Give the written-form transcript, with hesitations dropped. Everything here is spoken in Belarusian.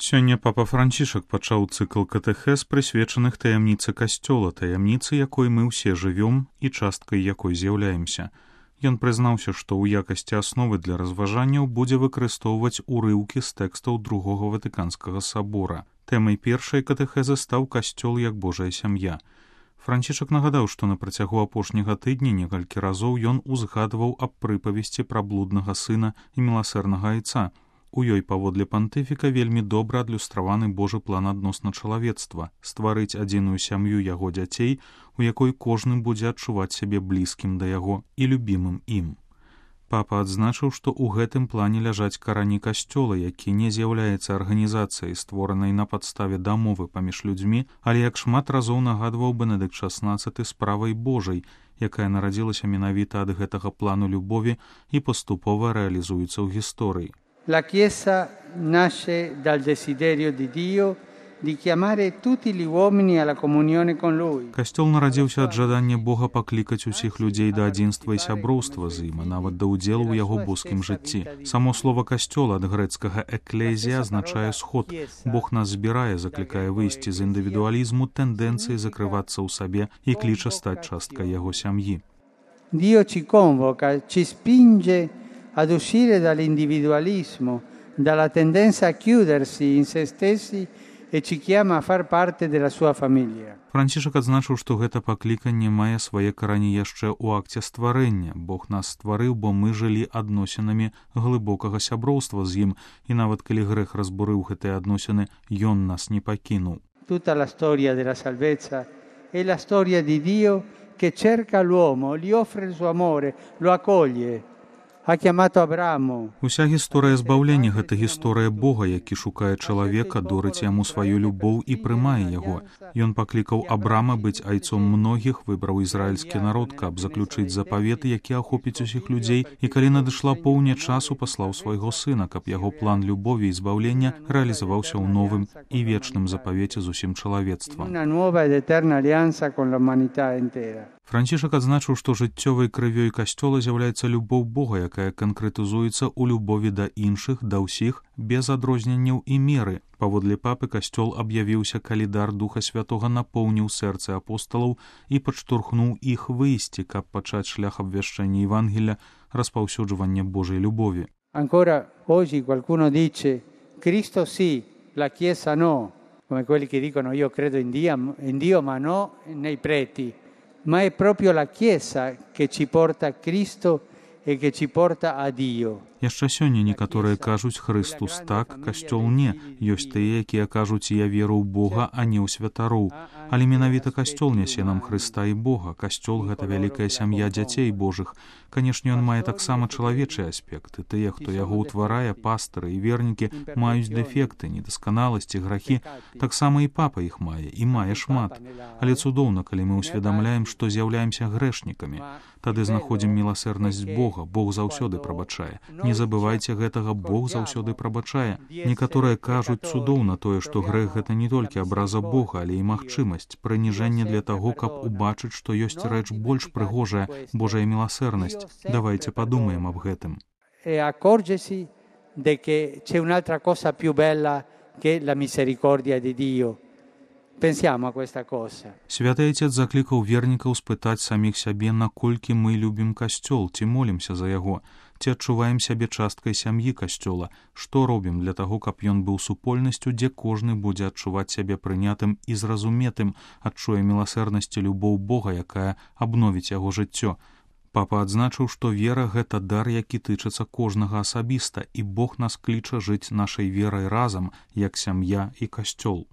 Сёння папа Францішак пачаў цыкл катэхез, прысвечаных таямніцы касцёла, таямніцы, якой мы ўсе жывём і часткай якой з'яўляемся. Ён прызнаўся, што ў якасці асновы для разважанняў будзе выкарыстоўваць урыўкі з тэкстаў Другога Ватыканскага сабора. Тэмай першай катэхезы стаў касцёл як Божая сям'я. Францішак нагадаў, што на працягу апошняга тыдня некалькі разоў ён узгадваў аб прыпавесці пра блуднага сына і міласэрнага айца. У ёй паводле пантыфіка вельмі добра адлюстраваны Божы план адносна чалавецтва — стварыць адзіную сям'ю яго дзяцей, у якой кожны будзе адчуваць сябе блізкім да яго і любімым ім. Папа адзначыў, што ў гэтым плане ляжаць карані касцёла, які не з'яўляецца арганізацыяй, створанай на падставе дамовы паміж людзьмі, але як шмат разоў нагадваў Бенедыкт XVI справай Божай, якая нарадзілася менавіта ад гэтага плану любові і паступова рэалізуецца ў гісторыі. La Chiesa nasce dal desiderio di Dio di chiamare tutti gli uomini alla comunione con Lui. Касцёл нарадзіўся ад жадання Бога паклікаць усіх людзей да адзінства і сяброўства з ім, а нават да ўдзелу ў яго боскім жыцці. Само слова «касцёл» ад грэцкага «эклезія» азначае «сход». Бог нас збірае, заклікае выйсці з індывідуалізму, тэндэнцыі закрывацца ў сабе і кліча стаць часткай яго сям'і. Dio ci convoca, ci spinge ad uscire dall'individualismo, dalla tendenza a chiudersi in se stessi e ci chiama a far parte della sua famiglia. Францішак адзначыў, што гэта пакліканне мае свае карані яшчэ ў акце стварэння. Бог нас стварыў, бо мы жылі адносінамі глыбокага сяброўства з ім, і нават калі грэх разбурыў гэтыя адносіны, ён нас не пакінуў. Tutta la storia della salvezza è la storia di Dio che cerca l'uomo, gli offre il suo amore, lo accoglie. Уся гісторыя збаўлення — гэта гісторыя Бога, які шукае чалавека, дорыць яму сваю любоў і прымае яго. Ён паклікаў Абрама быць айцом многіх, выбраў ізраільскі народ, каб заключыць запавет, які ахопіць усіх людзей, і калі надышла поўня часу, паслаў свайго сына, каб яго план любові і збаўлення рэалізаваўся ў новым і вечным запавеце з усім чалавецтвам. Францішак адзначыў, што жыццёвай крывёй касцёла з'яўляецца любоў Бога, якая канкрэтызуецца ў любові да іншых, да ўсіх, без адрозненняў і меры. Паводле папы касцёл аб'явіўся, калі дар Духа Святога напоўніў сэрцы апосталаў і падштурхнуў іх выйсці, каб пачаць шлях абвяшчэння Евангелля, распаўсюджвання Божай любові. Ancora oggi qualcuno dice Cristo sì, la Chiesa no, come quelli che dicono io credo in Dio ma no nei preti. Ma è proprio la Chiesa che ci porta a Cristo e che ci porta a Dio. Яшчэ сёння некаторыя кажуць «Христус так, касцёл не». Ёсць тыя, якія кажуць «Я веру ў Бога, а не ў святароў». Але менавіта касцёл нясе нам Хрыста і Бога. Касцёл — гэта вялікая сям'я дзяцей Божых. Канешне, ён мае таксама чалавечыя аспекты. Тыя, хто яго ўтварае, пастары і вернікі, маюць дэфекты, недасканаласці, грахі. Таксама і папа іх мае, і мае шмат. Але цудоўна, калі мы ўсведамляем, што з'яўляемся грэшнікамі. Тады знаходзім міласэрнасць Бога. Бог заўсёды прабачае. Не забывайце гэтага, Бог заўсёды прабачае. Некаторыя кажуць цудоўна тое, што грэх — гэта не толькі абраза Бога, але і магчымасць, прыніжэнне для таго, каб убачыць, што ёсць рэч больш прыгожая — Божая міласэрнасць. Давайте падумаем аб гэтым. E accorgersi de che c'è un'altra cosa più bella che la misericordia di Dio. Pensiamo a questa cosa. Святы Отец заклікаў вернікаў спытаць саміх сябе, наколькі мы любім касцёл, ці молімся за яго, ці адчуваем сябе часткай сям'і касцёла, што робім для таго, каб ён быў супольнасцю, дзе кожны будзе адчуваць сябе прынятым і зразуметым, адчуе міласэрнасць і любоў Бога, якая абновіць яго жыццё. Папа адзначыў, што вера — гэта дар, які тычыцца кожнага асабіста, і Бог нас кліча жыць нашай верай разам, як сям'я і касцёл.